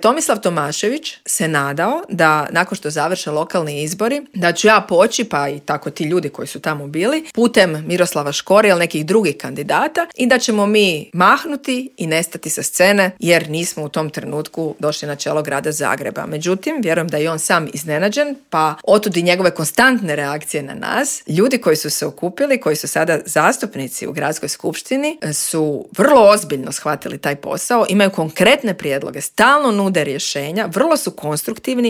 Tomislav Tomašević se nadao da nakon što završe lokalni izbori, da ću ja poći, pa i tako ti ljudi koji su tamo bili, putem Miroslava Škore ili nekih drugih kandidata i da ćemo mi mahnuti i nestati sa scene jer nismo u tom trenutku došli na čelo grada Zagreba. Međutim, vjerujem da je on sam iznenađen, pa otud i njegove konstantne reakcije na nas. Ljudi koji su se okupili, koji su sada zastupnici u gradskoj skupštini, su vrlo ozbiljno shvatili taj posao, imaju konkretne prijedloge, stalno nude rješenja, vrlo su konstruktivni